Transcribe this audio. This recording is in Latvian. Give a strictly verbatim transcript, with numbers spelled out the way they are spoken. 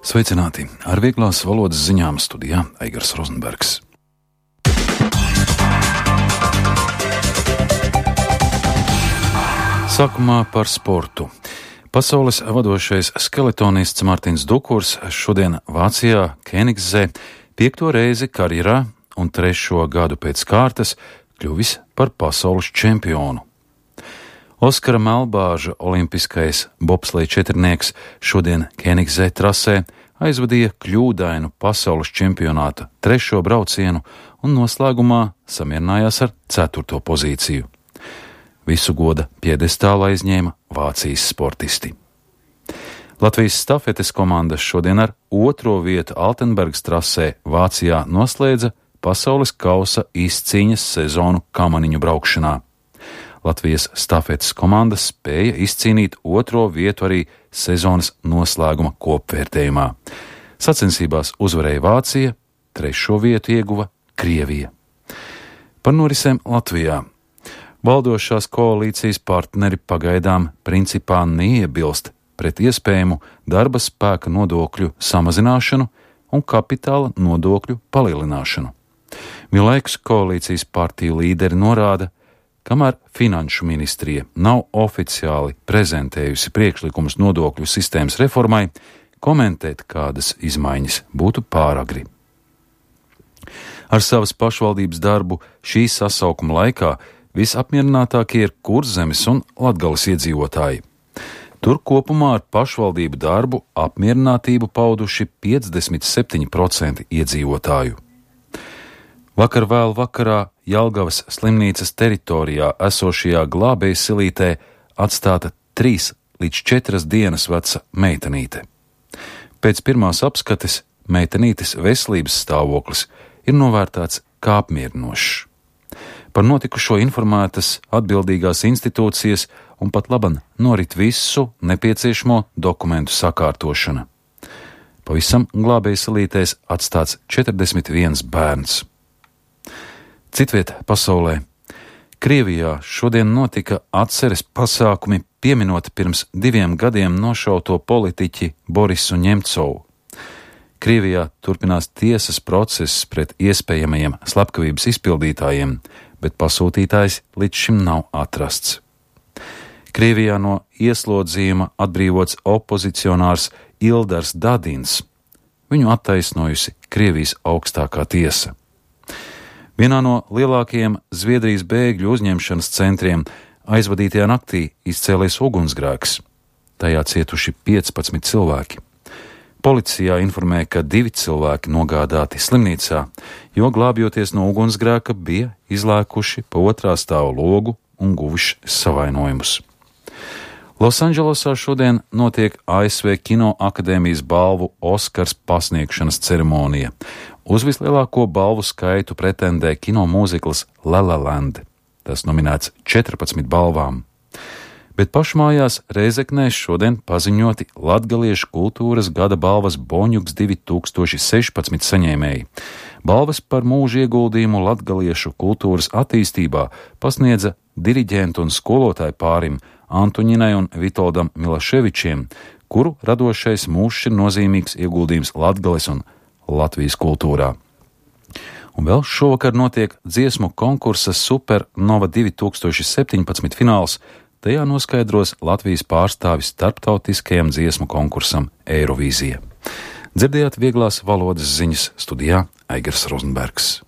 Sveicināti! Ar vieglās valodas ziņām studijā Aigars Rozenbergs. Sākumā par sportu. Pasaules vadošais skeletonists Mārtiņš Dukurs šodien Vācijā Kēnigsē piekto reizi karjerā un trešo gadu pēc kārtas kļuvis par pasaules čempionu. Oskara Melbāža olimpiskais bobsleja četrnieks šodien Kēnigsē trasē aizvadīja kļūdainu pasaules čempionāta trešo braucienu un noslēgumā samierinājās ar ceturto pozīciju. Visu goda piedestālu aizņēma Vācijas sportisti. Latvijas stafetes komandas šodien ar otro vietu Altenbergas trasē Vācijā noslēdza pasaules kausa izcīņas sezonu kamaniņu braukšanā. Latvijas stafetes komandas spēja izcīnīt otro vietu arī sezonas noslēguma kopvērtējumā. Sacensībās uzvarēja Vācija, trešo vietu ieguva Krievija. Par norisēm Latvijā. Valdošās koalīcijas partneri pagaidām principā neiebilst pret iespējamu darba spēka nodokļu samazināšanu un kapitāla nodokļu palielināšanu. Vienlaikus koalīcijas partiju līderi norāda, kamēr Finanšu ministrija nav oficiāli prezentējusi priekšlikumus nodokļu sistēmas reformai, komentēt kādas izmaiņas būtu pāragri. Ar savas pašvaldības darbu šī sasaukuma laikā visapmierinātākie ir Kurzemes un Latgales iedzīvotāji. Tur kopumā ar pašvaldību darbu apmierinātību pauduši piecdesmit septiņi procenti iedzīvotāju. Vakar vēl vakarā Jelgavas slimnīcas teritorijā esošajā glābēju silītē atstāta trīs līdz četras dienas veca meitenīte. Pēc pirmās apskates meitenītes veselības stāvoklis ir novērtēts kā apmierinošs. Par notikušo informētas atbildīgās institūcijas un pat laban norit visu nepieciešamo dokumentu sakārtošana. Pavisam glābēju silītēs atstāts četrdesmit viens bērns. Citviet pasaulē. Krievijā šodien notika atceres pasākumi pieminot pirms diviem gadiem nošauto politiķi Borisu Ņemcovu. Krievijā turpinās tiesas process pret iespējamajiem slepkavības izpildītājiem, bet pasūtītājs līdz šim nav atrasts. Krievijā no ieslodzījuma atbrīvots opozicionārs Ildars Dadins. Viņu attaisnojusi Krievijas augstākā tiesa. Vienā no lielākajiem Zviedrijas bēgļu uzņemšanas centriem aizvadītajā naktī izcēlies ugunsgrēks. Tajā cietuši piecpadsmit cilvēki. Policijā informē, ka divi cilvēki nogādāti slimnīcā, jo glābjoties no ugunsgrēka bija izlēkuši pa otrā stāva logu un guvuši savainojumus. Losandželosā šodien notiek A S V Kino akadēmijas balvu Oskars pasniegšanas ceremonija. Uz vislielāko balvu skaitu pretendē kino mūzikls La La Land. Tas nominēts četrpadsmit balvām. Bet pašmājās Rēzeknē šodien paziņoti latgaliešu kultūras gada balvas Boņuks divi tūkstoši sešpadsmit saņēmēji. Balvas par mūža ieguldījumu latgaliešu kultūras attīstībā pasniedza diriģentu un skolotāju pārim Antuņinai un Vitoldam Milaševičiem, kuru radošais mūžs ir nozīmīgs ieguldījums Latgales un Latvijas kultūrā. Un vēl šovakar notiek dziesmu konkursa Supernova divi tūkstoši septiņpadsmit fināls. Tajā noskaidros Latvijas pārstāvis starptautiskajam dziesmu konkursam Eirovīzija. Dzirdējāt vieglās valodas ziņas studijā Aigars Rozenbergs.